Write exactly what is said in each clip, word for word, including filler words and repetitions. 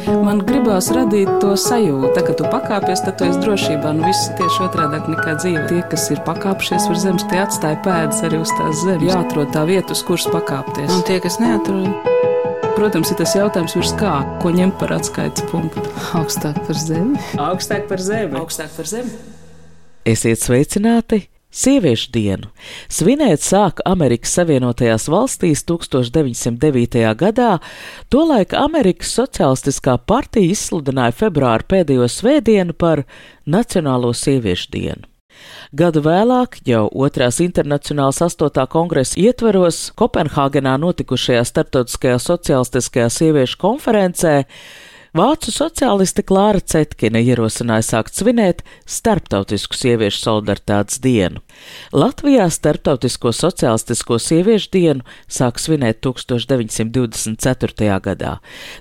Man gribās radīt to sajūtu, tā, ka tu pakāpies, tad tu esi drošībā. Nu, viss tieši otrādāk nekā dzīve. Tie, kas ir pakāpšies uz zemes, tie atstāja pēdas arī uz tās zemes. Jāatrod tā vieta, uz kuras pakāpties. Un tie, kas neatrod? Protams, ir tas jautājums virs kā, ko ņemt par atskaites punktu. Augstāk par zemi. Augstāk par zemi. Augstāk par zemi. Esiet sveicināti! Sieviešu dienu svinēt sāka Amerikas Savienotajās valstīs tūkstoš deviņsimt devītajā gadā, tolaik Amerikas Socialistiskā partija izsludināja februāra pēdējo svētdienu par Nacionālo sieviešu dienu. Gadu vēlāk, jau otrās internacionālas astotā kongresa ietvaros, Kopenhāgenā notikušajā starptautiskajā socialistiskajā sieviešu konferencē, vācu sociāliste Klāra Cetkine ierosināja sākt svinēt Starptautisku sieviešu solidaritātes dienu. Latvijā Starptautisko sociālistisko sieviešu dienu sāk svinēt tūkstoš deviņsimt divdesmit ceturtajā gadā.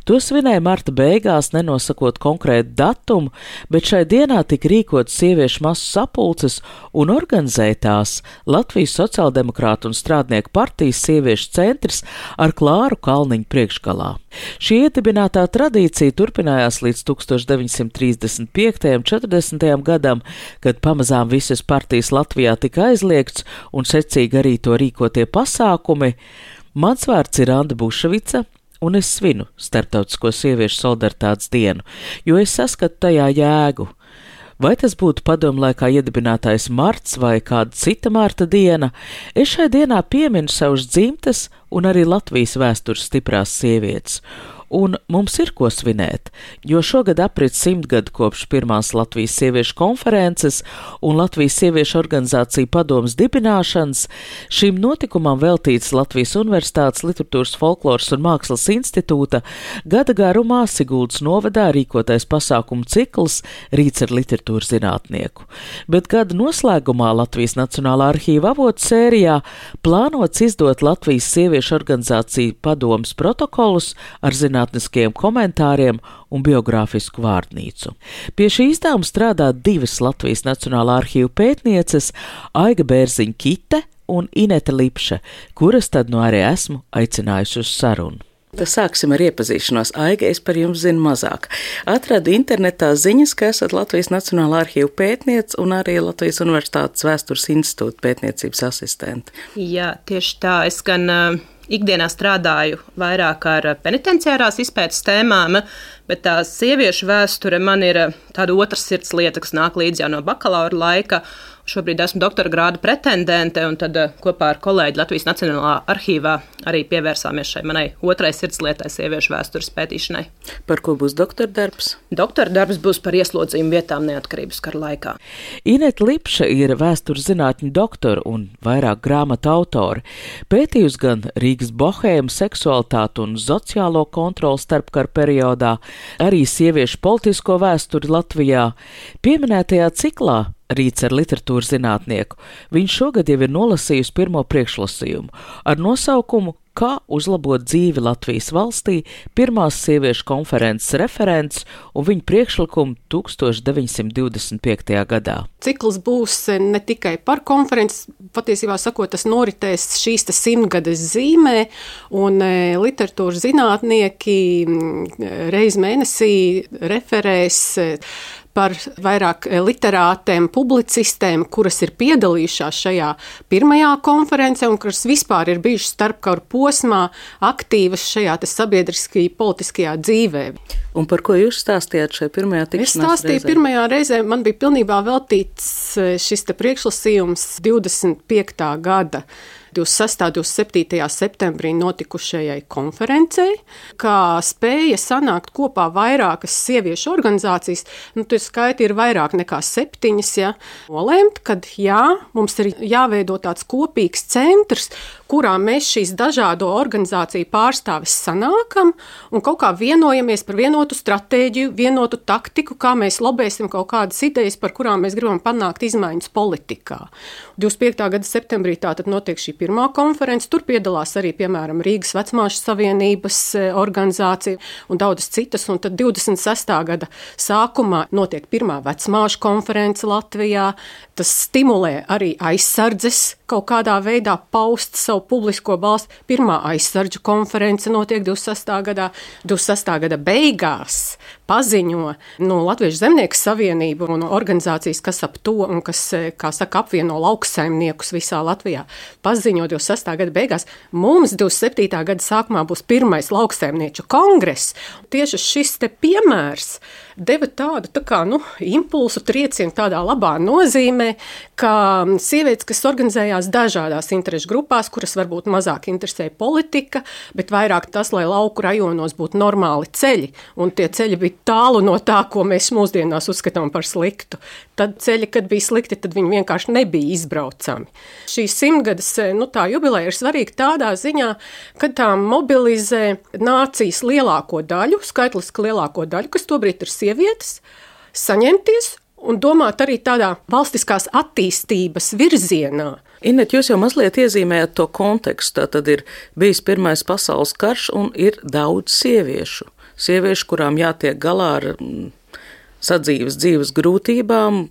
To svinēja marta beigās, nenosakot konkrētu datumu, bet šai dienā tika rīkots sieviešu masu sapulces un organizētās Latvijas Sociāldemokrātu un Strādnieku partijas sieviešu centrs ar Klāru Kalniņu priekšgalā. Šī iedibinātā tradīcija turpinājās līdz tūkstoš deviņsimt trīsdesmit piektajam un četrdesmitajam gadam, kad pamazām visas partijas Latvijā tika aizliegts un secīgi arī to rīkotie pasākumi. Mans vārds ir Anda Buševica, un es svinu Starptautisko sieviešu solidaritātes dienu, jo es saskatu tajā jēgu. Vai tas būtu padomlaikā iedibinātais marts vai kāda cita marta diena, es šai dienā pieminu savus dzimtes un arī Latvijas vēstures stiprās sievietes. Un mums ir ko svinēt, jo šogad aprit simt gadu kopš pirmās Latvijas sieviešu konferences un Latvijas sieviešu organizāciju padomas dibināšanas. Šim notikumam veltīts Latvijas Universitātes Literatūras, folkloras un mākslas institūta gada garumā Siguldas novadā rīkotais pasākumu cikls Rīts ar literatūras zinātnieku. Bet gada noslēgumā Latvijas Nacionālā arhīva avotu sērijā plānots izdot Latvijas sieviešu organizāciju padomas protokolus ar zinātnieku zinātniskiem komentāriem un biogrāfisku vārnīcu. Pie šī izdevuma strādā divas Latvijas Nacionālā arhīva pētnieces Aiga Bērziņa-Kite un Inete Lipše, kuras tad nu arī esmu aicinājusi uz sarunu. Tad sāksim ar iepazīšanos. Aiga, es par jums zinu mazāk. Atradu internetā ziņas, ka esat Latvijas Nacionālā arhīva pētniece un arī Latvijas Universitātes Vēstures institūta pētniecības asistente. Jā, tieši tā. Es gan uh, ikdienā strādāju vairāk ar penitenciārās izpētes tēmām, bet tā sieviešu vēsture man ir tāda otras sirds lieta, kas nāk līdz jau no bakalaura laika. Šobrīd esmu doktora grāda pretendente, un tad kopā ar kolēģi Latvijas Nacionālā arhīvā arī pievērsāmies šai manai otrai sirdslietai sieviešu vēstures pētīšanai. Par ko būs doktora darbs? Doktora darbs būs par ieslodzījumu vietām neatkarības kara laikā. Inete Lipše ir vēstures zinātņu doktora un vairāk grāmatu autori. Pētījusi gan Rīgas bohēmu, seksualitāti un sociālo kontroli starpkara periodā, arī sieviešu politisko vēsturi Latvijā. Pieminētajā ciklā Rīts ar literatūras zinātnieku viņš šogad jau ir nolasījusi pirmo priekšlasījumu ar nosaukumu Kā uzlabot dzīvi Latvijas valstī, pirmās sieviešu konferences referents un viņa priekšlikumu tūkstoš deviņsimt divdesmit piektajā gadā. Cikls būs ne tikai par konferences, patiesībā sakot, tas noritēs šīs simtgades zīmē, un literatūras zinātnieki reiz mēnesī referēs par vairāk literātēm, publicistēm, kuras ir piedalījušās šajā pirmajā konferencē un kuras vispār ir bijušas starpkaru posmā aktīvas šajā sabiedriskajā politiskajā dzīvē. Un par ko jūs stāstījāt šajā pirmajā tikšanās reizē? Es stāstīju reizē? pirmajā reizē, man bija pilnībā veltīts šis te priekšlasījums divdesmit piektā gada divdesmit sestā un divdesmit septītajā septembrī notikušajai konferencei, kā spēja sanākt kopā vairākas sieviešu organizācijas, nu, tur skaiti ir vairāk nekā septiņas, ja, nolēmt, kad jā, mums ir jāveido tāds kopīgs centrs, kurā mēs šīs dažādo organizāciju pārstāvis sanākam un kaut kā vienojamies par vienotu stratēģiju, vienotu taktiku, kā mēs lobēsim kaut kādas idejas, par kurām mēs gribam panākt izmaiņas politikā. divdesmit piektā gada septembrī tātad notiek šī pirmā konference. Tur piedalās arī, piemēram, Rīgas vecmāšu savienības organizācija un daudzas citas. Un tad divdesmit sestā gada sākumā notiek pirmā vecmāšu konference Latvijā. Tas stimulē arī aizsardzes kaut kādā veidā paust savu publisko balstu. Pirmā aizsardžu konference notiek divdesmit sestā gadā. divdesmit sestā gada beigās paziņo no Latviešu zemnieku savienību un organizācijas, kas ap to un kas, kā saka, apvieno lauksaimniekus visā Latvijā. Paziņo divdesmit sestā gada beigās, mums divdesmit septītā gada sākumā būs pirmais lauksaimnieču kongress. Tieši šis te piemērs deva tādu tā kā, nu, impulsu triecienu tādā labā nozīmē, ka sievietes, kas organizējās dažādās interešu grupās, kuras varbūt mazāk interesē politika, bet vairāk tas, lai lauku rajonos būtu normāli ceļi, un tie ceļi bija tālu no tā, ko mēs mūsdienās uzskatām par sliktu. Tad ceļi, kad bija slikti, tad viņi vienkārši nebija izbraucami. Šī simtgades, nu, tā jubileja ir svarīga tādā ziņā, kad tā mobilizē nācijas lielāko daļu, skaitliski lielāko daļu, kas tobrīd ir sievietes, saņemties un domāt arī tādā valstiskās attīstības virzienā. Inet, jūs jau mazliet iezīmējat to kontekstu. Tad ir bijis Pirmais pasaules karš un ir daudz sieviešu. Sieviešu, kurām jātiek galā ar mm, sadzīves dzīves grūtībām.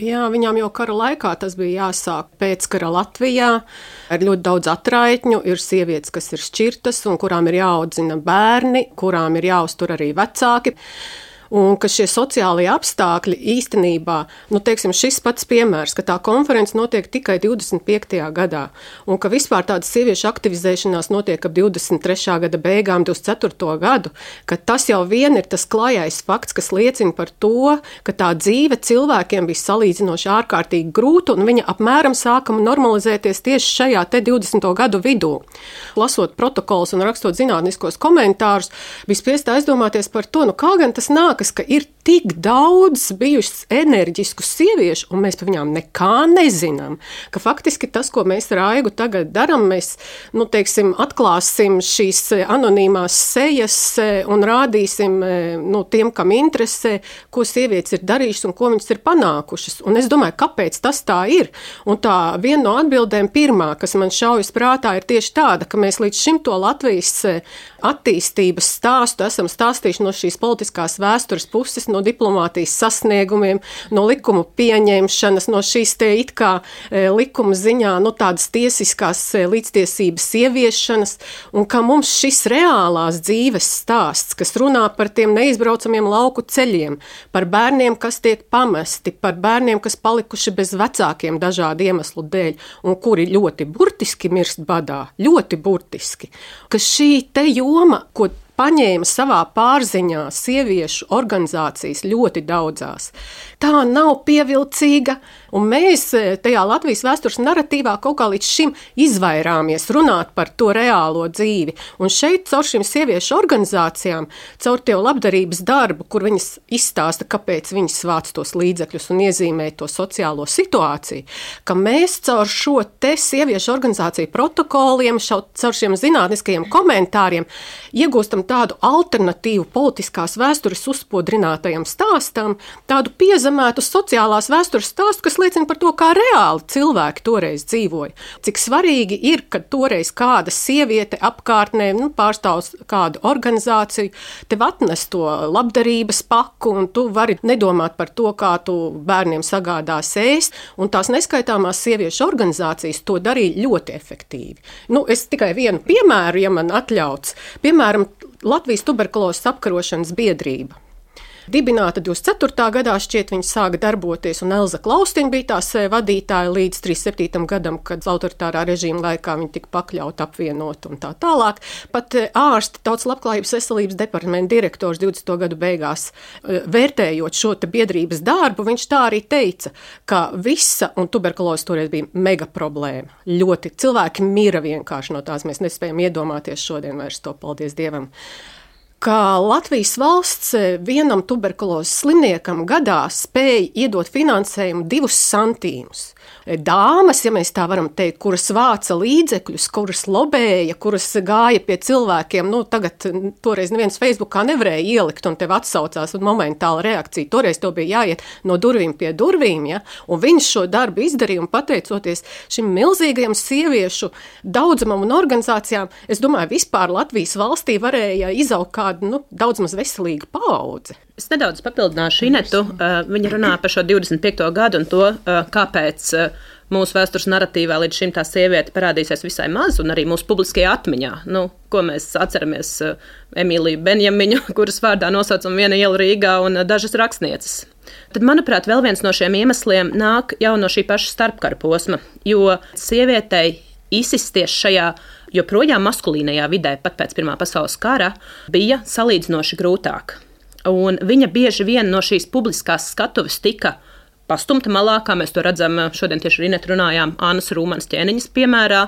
Jā, viņām jau kara laikā tas bija jāsāk pēckara Latvijā. Ir ļoti daudz atraitņu, ir sievietes, kas ir šķirtas un kurām ir jāaudzina bērni, kurām ir jāuztur arī vecāki. Un ka šie sociālie apstākļi īstenībā, nu, teiksim, šis pats piemērs, ka tā konference notiek tikai divdesmit piektajā gadā, un ka vispār tāda sieviešu aktivizēšanās notiek ap divdesmit trešā gada beigām, divdesmit ceturto gadu, ka tas jau vien ir tas klajais fakts, kas liecina par to, ka tā dzīve cilvēkiem bija salīdzinoši ārkārtīgi grūta, un viņa apmēram sākama normalizēties tieši šajā te divdesmito gadu vidū. Lasot protokolus un rakstot zinātniskos komentārus, bija spiest aizdomāties par to, nu kā gan tas nāk, ka ir tik daudz bijušas enerģisku sieviešu, un mēs par viņām nekā nezinām, ka faktiski tas, ko mēs ar Aigu tagad daram, mēs, nu, teiksim, atklāsim šīs anonīmās sejas un rādīsim, nu, tiem, kam interesē, ko sievietes ir darījušas un ko viņas ir panākušas. Un es domāju, kāpēc tas tā ir? Un tā viena no atbildēm pirmā, kas man šaujas prātā, ir tieši tāda, ka mēs līdz šim to Latvijas attīstības stāstu esam stāstījuši no šīs politiskās vēstures puses, no diplomātijas sasniegumiem, no likumu pieņemšanas, no šīs te it kā e, likuma ziņā, no tādas tiesiskās e, līdztiesības ieviešanas, un ka mums šis reālās dzīves stāsts, kas runā par tiem neizbraucamiem lauku ceļiem, par bērniem, kas tiek pamesti, par bērniem, kas palikuši bez vecākiem dažādu iemeslu dēļ, un kuri ļoti burtiski mirst badā, ļoti burtiski, ka šī te joma, ko paņēma savā pārziņā sieviešu organizācijas ļoti daudzās. Tā nav pievilcīga, un mēs tajā Latvijas vēstures naratīvā kaut kā līdz šim izvairāmies runāt par to reālo dzīvi. Un šeit caur šīm sieviešu organizācijām, caur tie labdarības darbu, kur viņas izstāsta, kāpēc viņas vāc tos līdzekļus un iezīmē to sociālo situāciju, ka mēs caur šo te sieviešu organizāciju protokoliem, šau, caur šiem zinātniskajiem komentāriem iegūstam tādu alternatīvu politiskās vēstures uzspodrinātajam stāstam, tādu piezemētu sociālās vēstures stāstu, kas liecina par to, kā reāli cilvēki toreiz dzīvoja. Cik svarīgi ir, kad toreiz kāda sieviete apkārtnē, nu, pārstāv kādu organizāciju, tev atnes to labdarības paku, un tu vari nedomāt par to, kā tu bērniem sagādās ēst, un tās neskaitāmās sieviešu organizācijas to darīja ļoti efektīvi. Nu, es tikai vienu piemēru, ja man atļauts. Piemēram, Latvijas tuberkulozes apkarošanas biedrība. Dibināta divdesmit ceturtā gadā, šķiet, viņa sāka darboties, un Elza Klaustiņa bija tās vadītāja līdz trīsdesmit septītajam gadam, kad autoritārā režīma laikā viņa tika pakļauta, apvienota un tā tālāk. Pat ārsti, Tautas labklājības veselības departamenta direktors divdesmito gadu beigās, vērtējot šo te biedrības darbu, viņš tā arī teica, ka visa, un tuberkulozes toreiz bija mega problēma. Ļoti cilvēki mira vienkārši no tās, mēs nespējam iedomāties šodien vairs to, paldies Dievam. ka Latvijas valsts vienam tuberkulozes slimniekam gadā spēja iedot finansējumu divus santīmus. Dāmas, ja mēs tā varam teikt, kuras vāca līdzekļus, kuras lobēja, kuras gāja pie cilvēkiem, nu tagad toreiz neviens Facebookā nevarēja ielikt un tev atsaucās un momentāla reakcija. Toreiz tev bija jāiet no durvīm pie durvīm, ja? Un viņš šo darbu izdarīja un pateicoties šim milzīgajam sieviešu daudzumam un organizācijām, es domāju, vispār Latvijas valstī varēja izaugt kādu, nu, daudz maz veselīgu paudzi. Es nedaudz papildināšu Inetu. Viņa runā par šo divdesmit piekto gadu un to, kāpēc mūsu vēstures narratīvā līdz šim tā sieviete parādīsies visai maz un arī mūsu publiskajā atmiņā. Nu, ko mēs atceramies Emīliju Benjamiņu, kuras vārdā nosaucam viena iela Rīgā un dažas rakstnieces. Tad, manuprāt, vēl viens no šiem iemesliem nāk jau no šī paša starpkara posma, jo sievietei izsisties šajā joprojām maskulīnajā vidē, pat pēc Pirmā pasaules kara, bija salīdzinoši grūtāk. Un viņa bieži vien no šīs publiskās skatuves tika pastumta malā, kā mēs to redzam šodien tieši ar Inetu runājām, Annas Rūmanas ķēniņas piemērā,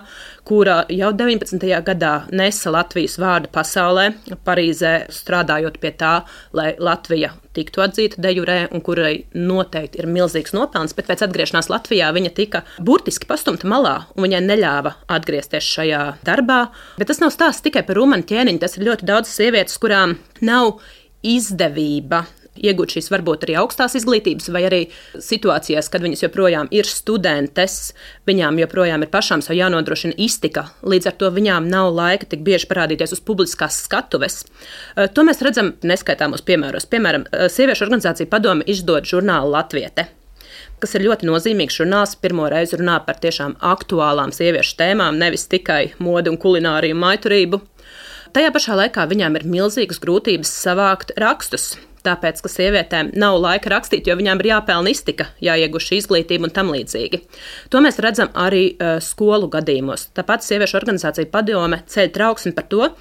kura jau deviņpadsmitajā gadā nesa Latvijas vārdu pasaulē, Parīzē strādājot pie tā, lai Latvija tiktu atzīta de jure un kurai noteikti ir milzīgs nopelns, bet pēc atgriešanās Latvijā viņa tika burtiski pastumta malā un viņai neļāva atgriezties šajā darbā. Bet tas nav stāsts tikai par Rūmanu ķēniņu, tas ir ļoti daudz sievietes, kurām nav izdevība iegūt šīs varbūt arī augstās izglītības vai arī situācijās, kad viņas joprojām ir studentes, viņām joprojām ir pašām savu jānodrošina iztika, līdz ar to viņām nav laika tik bieži parādīties uz publiskās skatuves. To mēs redzam neskaitāmos piemēros. Piemēram, Sieviešu organizācija Padome izdod žurnālu Latviete, kas ir ļoti nozīmīgs žurnāls, pirmo reizi runā par tiešām aktuālām sieviešu tēmām, nevis tikai modi un kulināriju un maiturību. Tajā pašā laikā viņām ir milzīgas grūtības savākt rakstus, tāpēc, ka sievietēm nav laika rakstīt, jo viņām ir jāpelna iztika, jāiegūst šī izglītība un tam līdzīgi. To mēs redzam arī uh, skolu gadījumos. Tāpat Sieviešu organizācija Padome ceļ trauksmi par to,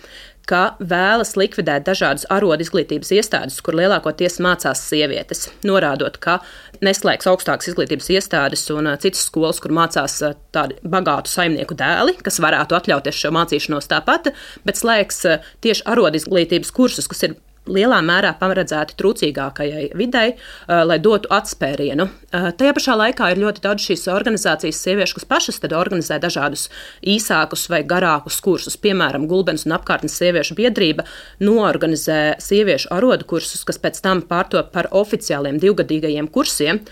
ka vēlas likvidēt dažādas arodu izglītības iestādes, kur lielākoties mācās sievietes, norādot, ka neslēgs augstākas izglītības iestādes un uh, citas skolas, kur mācās uh, tādi bagātu saimnieku dēli, kas varētu atļauties šo mācīšanos tāpat, bet slēgs uh, tieši arodu izglītības kursus, kas ir lielā mērā paredzēti trūcīgākajai videi, lai dotu atspērienu. Tajā pašā laikā ir ļoti daudz šīs organizācijas sieviešu, kas pašas tad organizē dažādus īsākus vai garākus kursus. Piemēram, Gulbenes un apkārtnes sieviešu biedrība noorganizē sieviešu arodu kursus, kas pēc tam pārtop par oficiāliem divgadīgajiem kursiem.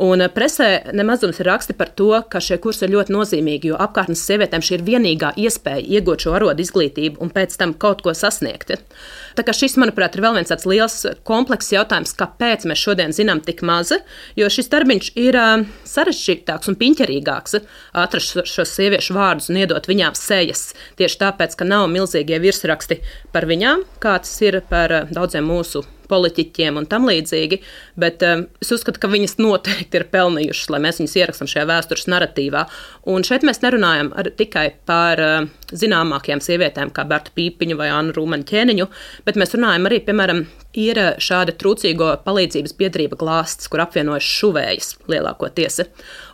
Un presē nemazums ir raksti par to, ka šie kursi ir ļoti nozīmīgi, jo apkārtnes sievietēm šī ir vienīgā iespēja iegūt šo arodu izglītību un pēc tam kaut ko sasniegt. Tā kā šis, manuprāt, ir vēl viens tāds liels komplekss jautājums, kāpēc mēs šodien zinām tik mazi, jo šis darbiņš ir uh, sarežģītāks un piņķerīgāks atrast šos sieviešu vārdus un iedot viņām sejas. Tieši tāpēc, ka nav milzīgie virsraksti par viņām, kā tas ir par uh, daudziem mūsu politiķiem un tam līdzīgi, bet um, es uzskatu, ka viņas noteikti ir pelnījušas, lai mēs viņas ierakstam šajā vēstures narratīvā. Un šeit mēs nerunājam ar, tikai par uh, zināmākajām sievietēm, kā Bertu Pīpiņu vai Annu Rūmanu ķēniņu, bet mēs runājam arī, piemēram, ir šāda trūcīgo palīdzības biedrība Glāsts, kur apvienojas šuvējas lielākoties.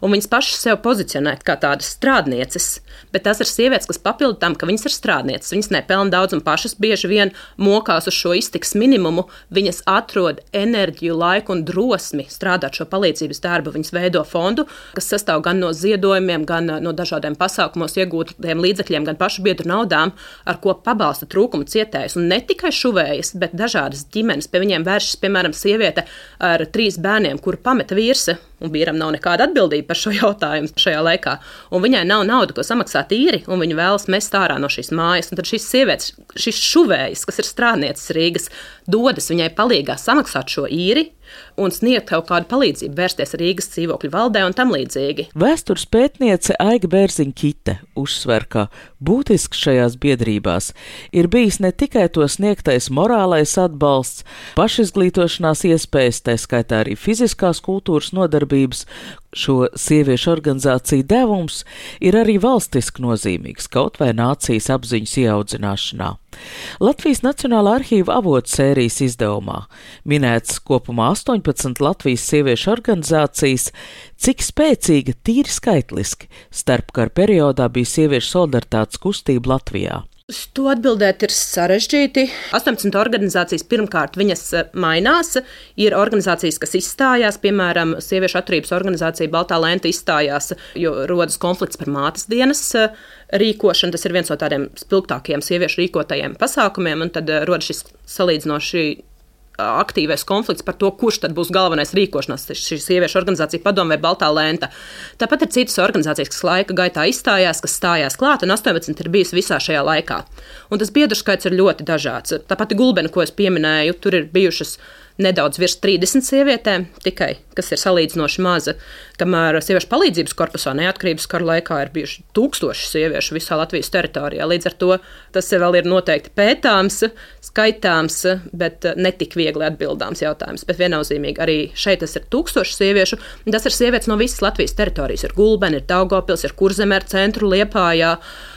Un viņas pašas sev pozicionē kā tādas strādnieces, bet tās ir sievietes, kas papildu tam, ka viņas ir strādnieces. Viņas nepelna daudz un pašas bieži vien mokās uz šo iztikas minimumu. Viņas atrod enerģiju, laiku un drosmi strādāt šo palīdzības darbu. Viņas veido fondu, kas sastāv gan no ziedojumiem, gan no dažādiem pasākumos iegūtiem līdzekļiem, gan pašu biedru naudām, ar ko pabalsta trūkumu cietējus. Un ne tikai šuvējas, bet dažādas ģimenes. Pie viņiem vēršas, piemēram, sieviete ar trīs bērniem, kuru pameta vīrse, un vīram nav nekāda atbildība par šo jautājumu šajā laikā. Un viņai nav nauda, ko samaksāt īri, un viņa vēlas mest ārā no šīs mājas. Un tad šīs sievietes, šis šuvējas, kas ir strādnieces Rīgas, dodas viņai palīgā samaksāt šo īri un sniegt kaut kādu palīdzību, vērsties Rīgas dzīvokļu valdē un tam līdzīgi. Vēstures pētniece Aiga Bērziņa-Kite uzsver, ka būtisks šajās biedrībās ir bijis ne tikai to sniegtais morālais atbalsts, pašizglītošanās iespējas, tā skaitā arī fiziskās kultūras nodarbības. Šo sieviešu organizāciju devums ir arī valstiski nozīmīgs, kaut vai nācijas apziņas ieaudzināšanā. Latvijas Nacionālā arhīva avotu sērijas izdevumā minēts kopumā astoņpadsmit Latvijas sieviešu organizācijas, cik spēcīga tīri skaitliski starpkara periodā bija sieviešu solidaritātes kustība Latvijā. Uz to atbildēt ir sarežģīti. astoņpadsmit organizācijas pirmkārt viņas mainās. Ir organizācijas, kas izstājās, piemēram, sieviešu atturības organizācija Baltā lenta izstājās, jo rodas konflikts par mātes dienas rīkošanu. Tas ir viens no tādiem spilgtākajiem sieviešu rīkotajiem pasākumiem, un tad rodas šis salīdzinoši aktīvais konflikts par to, kurš tad būs galvenais rīkošanās, šī sieviešu organizācija Padome vai Baltā lenta. Tāpat ir citas organizācijas, kas laika gaitā izstājās, kas stājās klāt, un astoņpadsmit ir bijis visā šajā laikā. Un tas biedru skaits ir ļoti dažāds. Tāpat Gulbena, ko es pieminēju, tur ir bijušas nedaudz virs trīsdesmit sievietēm tikai, kas ir salīdzinoši maza, kamēr sieviešu palīdzības korpusā neatkarības kara laikā ir bijuši tūkstoši sieviešu visā Latvijas teritorijā. Līdz ar to tas vēl ir noteikti pētāms, skaitāms, bet netik viegli atbildāms jautājums. Bet viennozīmīgi arī šeit tas ir tūkstoši sieviešu, un tas ir sievietes no visas Latvijas teritorijas. Ir Gulbena, ir Daugavpils, ir Kurzeme, ir Centru, Liepājā,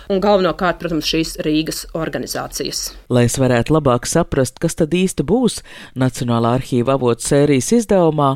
un galvenokārt, protams, šīs Rīgas organizācijas. Lai es varētu labāk saprast, kas tad īsti būs Nacionālā arhīva avotu sērijas izdevumā,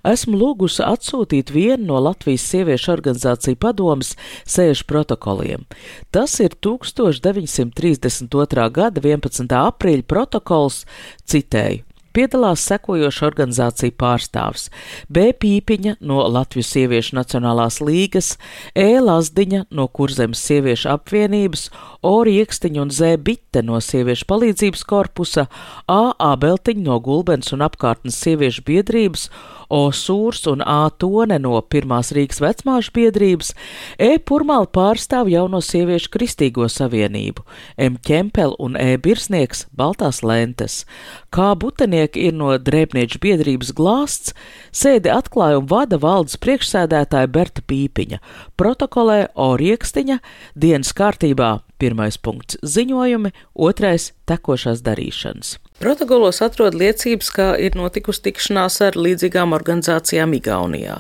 esmu lūgusi atsūtīt vienu no Latvijas sieviešu organizāciju padomes sēžu protokoliem. Tas ir tūkstoš deviņsimt trīsdesmit otrā gada vienpadsmitā aprīļa protokols, citēju. Piedalās sekojoša organizācija pārstāvs: B. Pīpiņa no Latvijas sieviešu nacionālās līgas, E. Lazdiņa no Kurzemes sieviešu apvienības, O. Riekstiņa un Z. Bitte no sieviešu palīdzības korpusa, A. Ābeltiņa no Gulbenes un apkārtnes sieviešu biedrības, O. Sūrs un A. Tone no Pirmās Rīgas vecmāšu biedrības, E. Purmāla pārstāv Jauno sieviešu kristīgo savienību, M. Ķempel un E. Birsnieks Baltās lentes, K. Butenieki ir no Drēbnieču biedrības Glāsts, sēdi atklāja un vada valdes priekšsēdētāja Berta Pīpiņa, protokolē O. Riekstiņa, dienas kārtībā pirmais punkts ziņojumi, otrais tekošās darīšanas. Protokolos atrod liecības, ka ir notikusi tikšanās ar līdzīgām organizācijām Igaunijā.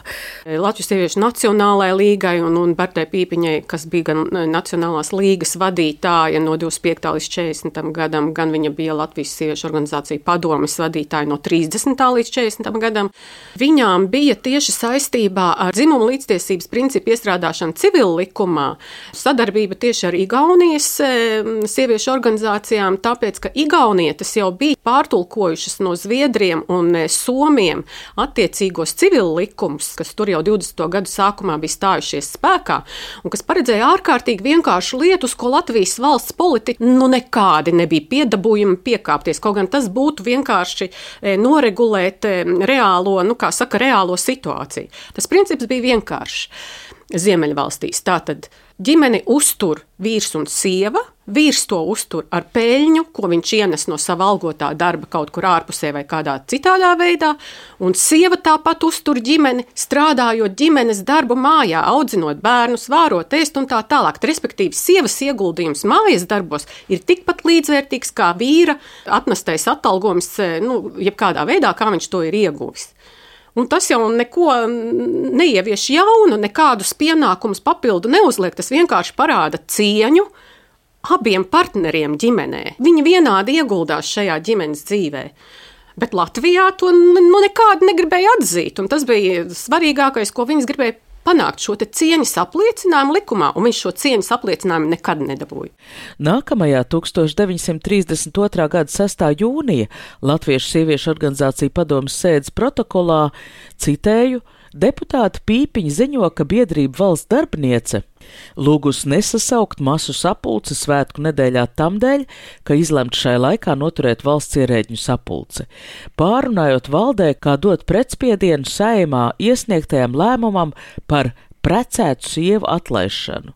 Latvijas sieviešu nacionālajai līgai un, un Bertai Pīpiņai, kas bija gan Nacionālās līgas vadītāja no divdesmit piektā līdz četrdesmitam gadam, gan viņa bija Latvijas sieviešu organizācija padomes vadītāja no trīsdesmitā līdz četrdesmitam gadam. Viņām bija tieši saistībā ar dzimumu līdztiesības principu iestrādāšanu civil likumā sadarbība tieši ar Igaunijas sieviešu organizācijām, tāpēc, ka Igaunietes jau bija pārtulkojušas no zviedriem un somiem attiecīgos civil likumus, kas tur jau divdesmito gadu sākumā bija stājušies spēkā, un kas paredzēja ārkārtīgi vienkāršu lietu, ko Latvijas valsts politika nu nekādi nebija piedabūjumi piekāpties, kaut gan tas būtu vienkārši noregulēt reālo, nu kā saka, reālo situāciju. Tas princips bija vienkāršs. Ziemeļvalstīs tātad ģimeni uztur vīrs un sieva, vīrs to uztur ar peļņu, ko viņš ienes no sava algotā darba kaut kur ārpusē vai kādā citādā veidā, un sieva tāpat uztur ģimeni, strādājot ģimenes darbu mājā, audzinot bērnus, vārot, ēst un tā tālāk. Respektīvi, sievas ieguldījums mājas darbos ir tikpat līdzvērtīgs kā vīra atnestais atalgojums, nu, jebkādā veidā, kā viņš to ir ieguvis. Un tas jau neko neievieš jaunu, nekādus pienākumus papildu neuzliek, tas vienkārši parāda cieņu abiem partneriem ģimenē. Viņi vienādi ieguldās šajā ģimenes dzīvē. Bet Latvijā to nu, nekādi negribēja atzīt, un tas bija svarīgākais, ko viņas gribēja panākt, šo te cieņas apliecinājumu likumā, un viņš šo cieņas apliecinājumu nekad nedabūja. Nākamajā tūkstoš deviņsimt trīsdesmit otrā gada sestā jūnija Latviešu sieviešu organizācija padomes sēdes protokolā, citēju, deputāta Pīpiņa ziņo, ka biedrība valsts darbiniece lūgus nesasaukt masu sapulci svētku nedēļā tamdēļ, ka izlemts šai laikā noturēt valsts ierēģņu sapulci. Pārunājot valdē, kā dot pretspiedienu Saeimā iesniegtajam lēmumam par precētu sievu atlaišanu.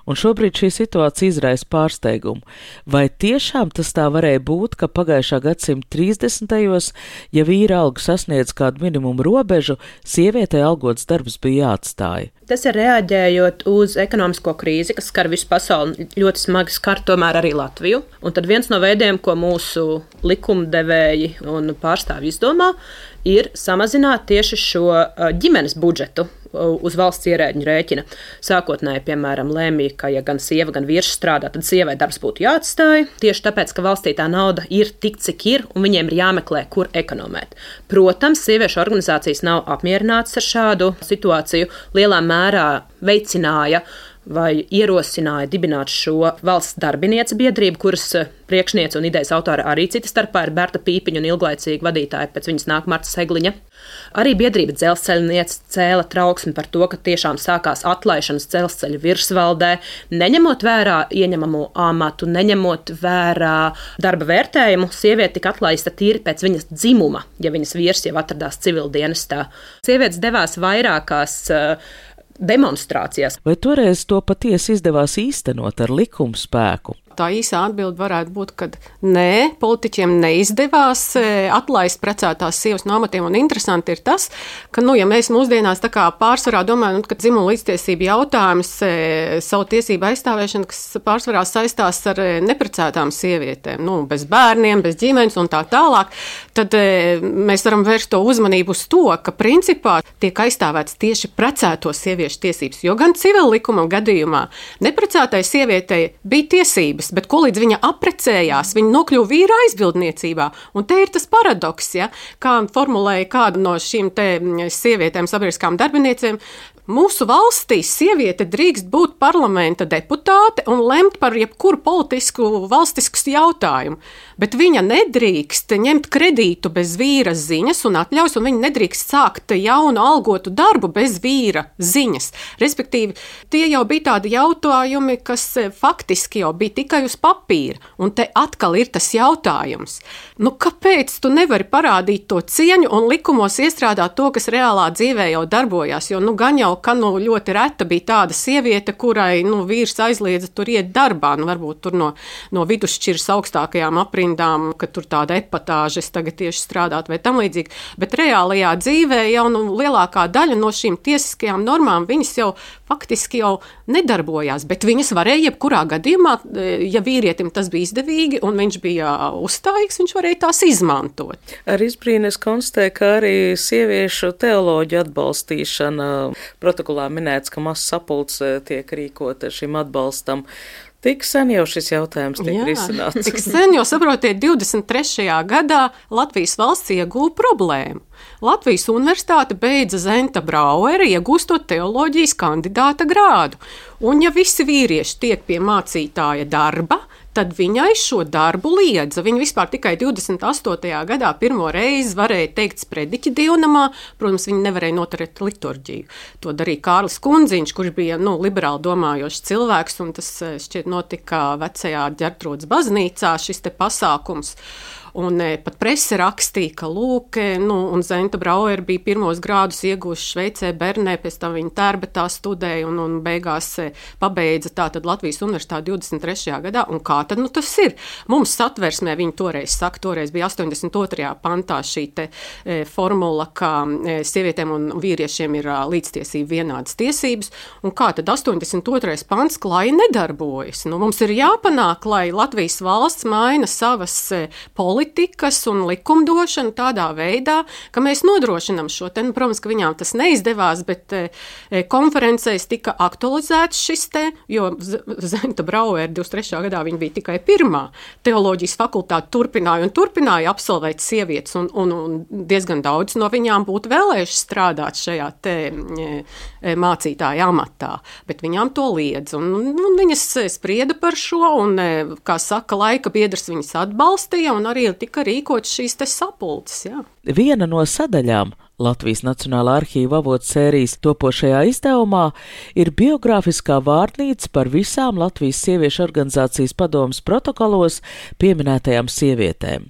Un šobrīd šī situācija izraisa pārsteigumu. Vai tiešām tas tā varēja būt, ka pagājušā gadsimta trīsdesmitajos, ja vīra alga sasniedz kādu minimumu robežu, sievietei algots darbs bija jāatstāja? Tas ir reaģējot uz ekonomisko krīzi, kas skar visu pasauli, ļoti smagi skar tomēr arī Latviju. Un tad viens no veidiem, ko mūsu likumdevēji un pārstāvji izdomā, ir samazināt tieši šo ģimenes budžetu uz valsts ierēģņu rēķina. Sākotnēji, piemēram, lēmīja, ka ja gan sieva, gan vīrs strādā, tad sievai darbs būtu jāatstāj, tieši tāpēc, ka valstī tā nauda ir tik, cik ir, un viņiem ir jāmeklē, kur ekonomēt. Protams, sieviešu organizācijas nav apmierinātas ar šādu situāciju, lielā mērā veicināja vai ierosināja dibināt šo valsts darbinieca biedrību, kuras priekšniece un idejas autora arī cita starpā ir Berta Pīpiņa un ilglaicīga vadītāja, pēc viņas nāk Marta Segliņa. Arī biedrība Dzelzceļniece cēla trauksmi par to, ka tiešām sākās atlaišanas dzelzceļa virsvaldē, neņemot vērā ieņemamo amatu, neņemot vērā darba vērtējumu, sieviete tika atlaista tīri pēc viņas dzimuma, ja viņas vīrs jau atradās civildienestā. Sievietes devās vairākās uh, demonstrācijās. Vai toreiz to patiesi izdevās īstenot ar likuma spēku? Tā īsā atbilde varētu būt, ka nē, politiķiem neizdevās atlaist precētās sievas no amatiem. Un interesanti ir tas, ka, nu, ja mēs mūsdienās tā kā pārsvarā domājam, ka dzimuma līdztiesība jautājums, savu tiesību aizstāvēšana, kas pārsvarā saistās ar neprecētām sievietēm, nu, bez bērniem, bez ģimenes un tā tālāk, tad mēs varam vērst to uzmanību uz to, ka principā tiek aizstāvēts tieši precēto sieviešu tiesības, jo gan civila likuma gadījumā neprecētai sievietei bija tiesības, bet ko līdz viņa apprecējās, viņa nokļuva vīra aizbildniecībā. Un te ir tas paradoks, ja, kā formulēja kāda no šīm te sievietēm sabiedriskām darbiniecēm. Mūsu valstī sieviete drīkst būt parlamenta deputāte un lemt par jebkuru politisku valstisku jautājumu, bet viņa nedrīkst ņemt kredītu bez vīra ziņas un atļaus, un viņa nedrīkst sākt jaunu algotu darbu bez vīra ziņas. Respektīvi, tie jau bija tādi jautājumi, kas faktiski jau bija tikai uz papīra, un te atkal ir tas jautājums. Nu, kāpēc tu nevari parādīt to cieņu un likumos iestrādāt to, kas reālā dzīvē jau darbojās, jo nu gan jau ka nu, ļoti reta bija tāda sieviete, kurai nu, vīrs aizliedza tur iet darbā, nu, varbūt tur no, no vidusšķiras augstākajām aprindām, ka tur tāda epatāža es tagad tieši strādāt vai tam līdzīgi, bet reālajā dzīvē jau nu, lielākā daļa no šīm tiesiskajām normām, viņas jau faktiski jau nedarbojās, bet viņas varēja jebkurā gadījumā, ja vīrietim tas bija izdevīgi un viņš bija uzstājīgs, viņš varēja tās izmantot. Ar izbrīnu es konstatēju, ka arī sieviešu teoloģu atbalstīšana protokolā minēts, ka mazs sapulcs tiek rīkota šim atbalstam. Tik sen jau šis jautājums tiek Jā, risināts. Tik sen, jo saprotiet, divdesmit trešajā gadā Latvijas valsts ieguva problēmu. Latvijas universitāte beidza Zenta Brauera iegūstot teoloģijas kandidāta grādu. Un ja visi vīrieši tiek pie mācītāja darba, tad viņai šo darbu liedza. Viņa vispār tikai divdesmit astotajā gadā pirmo reizi varēja teikt sprediķi dievnamā, protams, viņa nevarēja noturēt liturģiju. To darīja Kārlis Kundziņš, kurš bija nu, liberāli domājošs cilvēks, un tas šķiet notika vecajā Ģertrūdes baznīcā, šis te pasākums. Un e, pat prese rakstīja, ka lūk, nu, un Zenta Brauer bija pirmos grādus iegūši Šveicē, Bernē, pēc tam viņa Tērbetā studēja un, un beigās e, pabeidza tātad Latvijas universitāti divdesmit trešajā gadā. Un kā tad nu, tas ir? Mums satversmē viņi toreiz saka, toreiz bija astoņdesmit otrajā pantā šī te e, formula, ka e, sievietēm un vīriešiem ir līdztiesība vienādas tiesības. Un kā tad astoņdesmit otrais pants klāji nedarbojas? Nu, mums ir jāpanāk, lai Latvijas valsts maina savas e, politikas, politikas un likumdošanu tādā veidā, ka mēs nodrošinām šo te, nu, protams, ka viņām tas neizdevās, bet e, konferencēs tika aktualizēts šis te, jo Zenta Brauer divdesmit trešajā gadā viņa bija tikai pirmā teoloģijas fakultāte turpināja un turpināja absolvēt sievietes, un, un, un diezgan daudz no viņām būtu vēlējuši strādāt šajā te e, mācītāja amatā, bet viņām to liedz, un, un viņas sprieda par šo, un, e, kā saka, laika biedrs viņas atbalstīja, un arī tika rīkots šīs te sapulces, jā. Viena no sadaļām Latvijas Nacionālā arhīva avotu sērijas topošajā izdevumā ir biogrāfiskā vārnīca par visām Latvijas sieviešu organizācijas padomes protokolos pieminētajām sievietēm.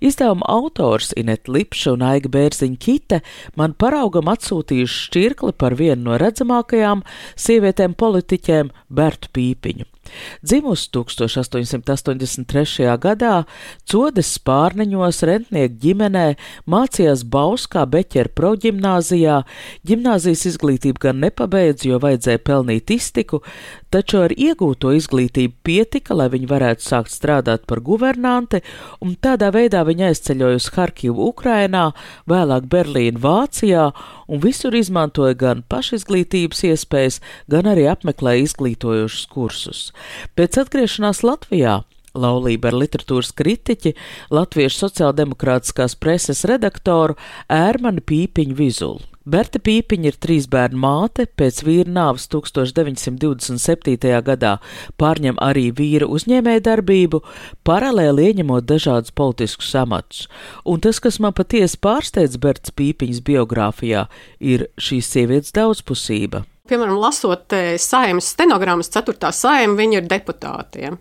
Izdevuma autors Ineta Lipša un Aiga Bērziņa-Kite man paraugam atsūtījuši šķirkli par vienu no redzamākajām sievietēm politiķēm Bertu Pīpiņu. Dzimusi tūkstoš astoņsimt astoņdesmit trešajā gadā, Codes Spārneņos rentnieku ģimenē, mācījās Bauskā Beķera proģimnāzijā, ģimnāzijas izglītību gan nepabeidz, jo vajadzēja pelnīt iztiku, taču ar iegūto izglītību pietika, lai viņa varētu sākt strādāt par guvernanti, un tādā veidā viņa aizceļoja uz Harkivu Ukrainā, vēlāk Berlīnu Vācijā, un visur izmantoja gan pašizglītības iespējas, gan arī apmeklēja izglītojošus kursus. Pēc atgriešanās Latvijā laulība ar literatūras kritiķi, latviešu sociāldemokrātiskās preses redaktoru Ērmani Pīpiņu Vizulu. Berta Pīpiņa ir trīs bērnu māte, pēc vīra nāves tūkstoš deviņsimt divdesmit septītajā gadā pārņem arī vīra uzņēmējdarbību, paralēli ieņemot dažādus politiskus amatus. Un tas, kas man patiesi pārsteidz Bertas Pīpiņas biogrāfijā, ir šīs sievietes daudzpusība. Piemēram, lasot Saeimas stenogrammas, ceturtā Saeima, viņa ir deputāte. Ja?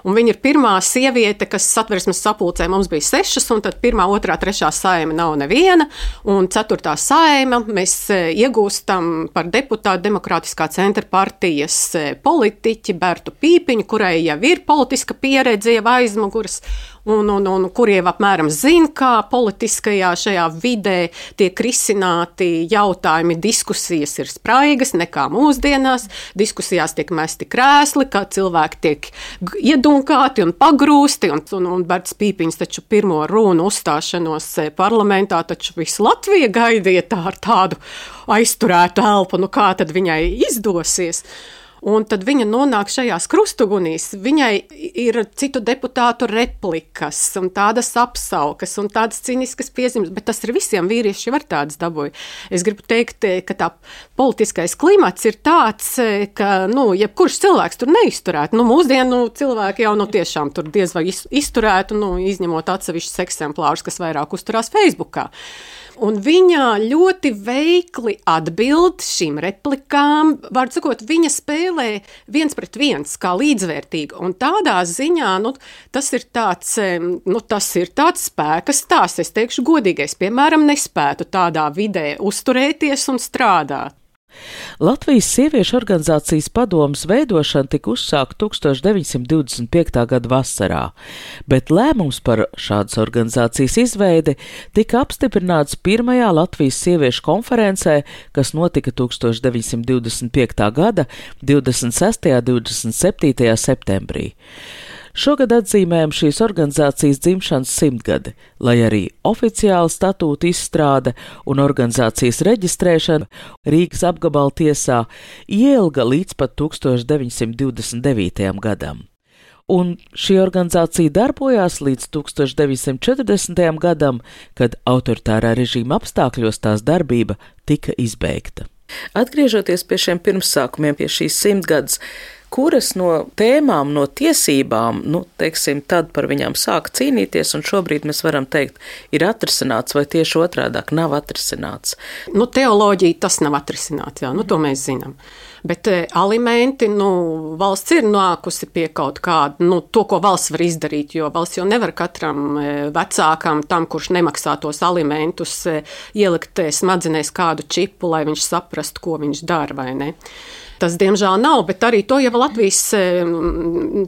Un viņa ir pirmā sieviete, kas Satversmes sapulcē mums bija sešas, un tad pirmā, otrā, trešā Saeima nav neviena, un ceturtā Saeima mēs iegūstam par deputātu Demokrātiskā centra partijas politiķi Bertu Pīpiņu, kurai jau ir politiska pieredze jau aizmuguras, un, un, un kur jau apmēram zina, kā politiskajā šajā vidē tiek risināti jautājumi, diskusijas ir spraigas, nekā mūsdienās, diskusijās tiek mesti krēsli, kā cilvēki tiek iedunkāti un pagrūsti, un, un, un Bertas Pīpiņas taču pirmo runu uzstāšanos parlamentā, taču visu Latviju gaidīja tā ar tādu aizturētu elpu, nu kā tad viņai izdosies. Un tad viņa nonāk šajās krustugunīs. Viņai ir citu deputātu replikas un tādas apsaukas un tādas ciniskas piezīmes, bet tas ir visiem vīrieši var tādas dabūja. Es gribu teikt, ka tā politiskais klimats ir tāds, ka, nu, jebkurš cilvēks tur neizturētu. Nu, mūsdienu cilvēki jau, nu, tiešām tur diez vai izturētu, nu, izņemot atsevišķus eksemplārus, kas vairāk uzturās Facebookā. Un viņa ļoti veikli atbild šīm replikām, var sakot, viņa spēlē viens pret viens, kā līdzvērtīga, un tādā ziņā, nu, tas ir tāds, nu, tas ir tāds spēka stāsts, es teikšu godīgais, piemēram, nespētu tādā vidē uzturēties un strādāt. Latvijas sieviešu organizācijas padomes veidošana tika uzsākta tūkstoš deviņsimt divdesmit piektā gada vasarā, bet lēmums par šādas organizācijas izveidi tika apstiprināts pirmajā Latvijas sieviešu konferencē, kas notika tūkstoš deviņsimt divdesmit piektā gada divdesmit sestajā un divdesmit septītajā septembrī. Šogad atzīmējam šīs organizācijas dzimšanas simtgadi, lai arī oficiāla statūta izstrāde un organizācijas reģistrēšana Rīgas apgabala tiesā ielga līdz pat tūkstoš deviņsimt divdesmit devītajam gadam. Un šī organizācija darbojās līdz tūkstoš deviņsimt četrdesmitajam gadam, kad autoritārā režīma apstākļos tās darbība tika izbeigta. Atgriežoties pie šiem pirmsākumiem, pie šīs simtgades, kuras no tēmām, no tiesībām, nu, teiksim, tad par viņām sāk cīnīties, un šobrīd mēs varam teikt, ir atrisināts, vai tieši otrādāk nav atrisināts? Nu, teoloģija tas nav atrisināts, jā, nu, to mēs zinām. Bet e, alimenti, nu, valsts ir nākusi pie kaut kāda, nu, to, ko valsts var izdarīt, jo valsts jau nevar katram e, vecākam, tam, kurš nemaksā tos alimentus, e, ielikt e, smadzenēs kādu čipu, lai viņš saprastu, ko viņš dara, vai ne? Tas, diemžēl, nav, bet arī to jau Latvijas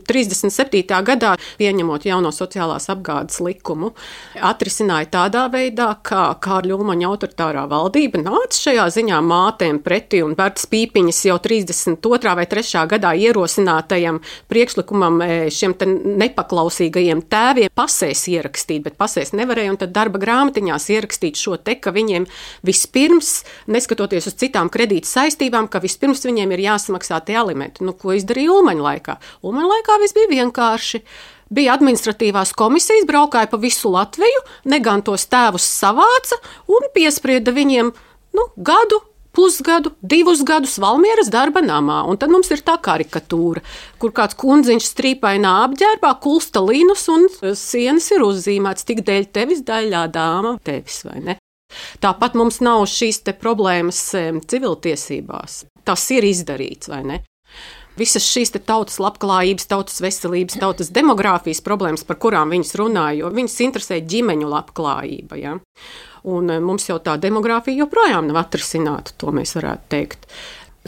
trīsdesmit septītajā gadā, pieņemot jauno sociālās apgādes likumu, atrisināja tādā veidā, ka Kārļa Ulmaņa autoritārā valdība nāca šajā ziņā mātēm pretī, un Bertas Pīpiņas jau trīsdesmit otrā vai trešā gadā ierosinātajam priekšlikumam šiem te nepaklausīgajiem tēviem pasēs ierakstīt, bet pasēs nevarēja, un tad darba grāmatiņās ierakstīt šo te, ka viņiem vispirms, neskatoties uz citām kredīta saistībām, ka vispirms viņiem ir jāsamaksā tie alimenti. Nu, ko izdarīja Ulmaņa laikā? Ulmaņa laikā viss bija vienkārši. Bija administratīvās komisijas, braukāja pa visu Latviju, negan tos tēvus savāca un piesprieda viņiem, nu, gadu, pusgadu, divus gadus Valmieras darba namā. Un tad mums ir tā karikatūra, kur kāds kundziņš strīpainā apģērbā, kulsta līnus un sienas ir uzzīmēts, tik dēļ tevis, daļā dāma tevis, vai ne? Tāpat mums nav šīs te problēmas civiltiesībās. Tas ir izdarīts, vai ne? Visas šīs te tautas labklājības, tautas veselības, tautas demogrāfijas problēmas, par kurām viņas runāja, jo viņas interesē ģimeņu labklājība. Ja? Un mums jau tā demogrāfija joprojām nav atrisināta, to mēs varētu teikt.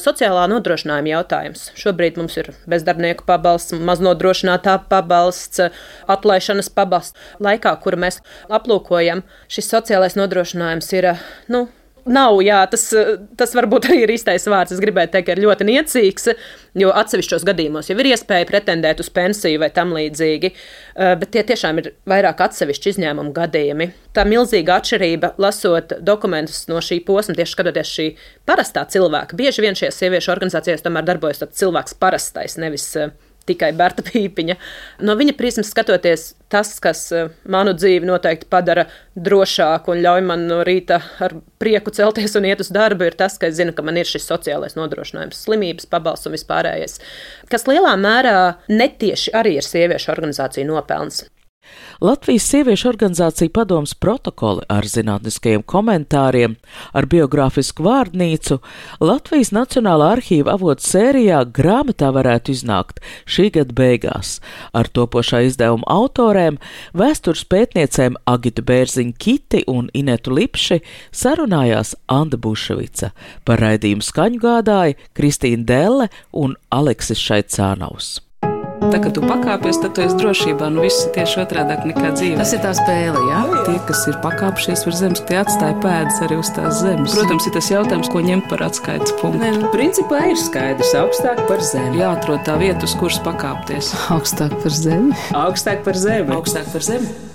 Sociālā nodrošinājuma jautājums. Šobrīd mums ir bezdarbnieku pabalsts, maznodrošinātā pabalsts, atlaišanas pabalsts. Laikā, kuru mēs aplūkojam, šis sociālais nodrošinājums ir, nu, nav, jā, tas, tas varbūt arī ir īstais vārds. Es gribēju teikt, ka ir ļoti niecīgs, jo atsevišķos gadījumos jau ir iespēja pretendēt uz pensiju vai tam līdzīgi, bet tie tiešām ir vairāk atsevišķi izņēmumu gadījumi. Tā milzīga atšķirība, lasot dokumentus no šī posma, tieši skatoties šī parastā cilvēka. Bieži vien šajās sieviešu organizācijās tomēr darbojas tāds cilvēks parastais, nevis tikai Berta Pīpiņa. No viņa prismas skatoties, tas, kas manu dzīvi noteikti padara drošāku un ļauj man no rīta ar prieku celties un iet uz darbu, ir tas, ka es zinu, ka man ir šis sociālais nodrošinājums, slimības pabalsts un vispārējais, kas lielā mērā netieši arī ir sieviešu organizāciju nopelns. Latvijas sieviešu organizācija padomes protokoli ar zinātniskajiem komentāriem, ar biogrāfisku vārdnīcu Latvijas Nacionālā arhīva avotu sērijā grāmatā varētu iznākt šī gada beigās. Ar topošā izdevuma autorēm, vēstures pētniecēm Agitu Bērziņu Kiti un Inetu Lipši sarunājās Anda Buševica. Par raidījumu skaņu gādāja Kristīna Delle un Aleksis Šaicānaus. Tā, kad tu pakāpies, tad tu esi drošībā, nu viss ir tieši otrādāk nekā dzīvē. Tas ir tā spēle, jā? Tie, kas ir pakāpšies virs zemes, tie atstāja pēdas arī uz tās zemes. Protams, ir tas jautājums, ko ņemt par atskaites punktu. Nē, nu, principā ir skaidrs, augstāk par zemi. Jāatrod tā vieta, uz kuras pakāpties. Augstāk par zemi. Augstāk par zemi. Augstāk par zemi.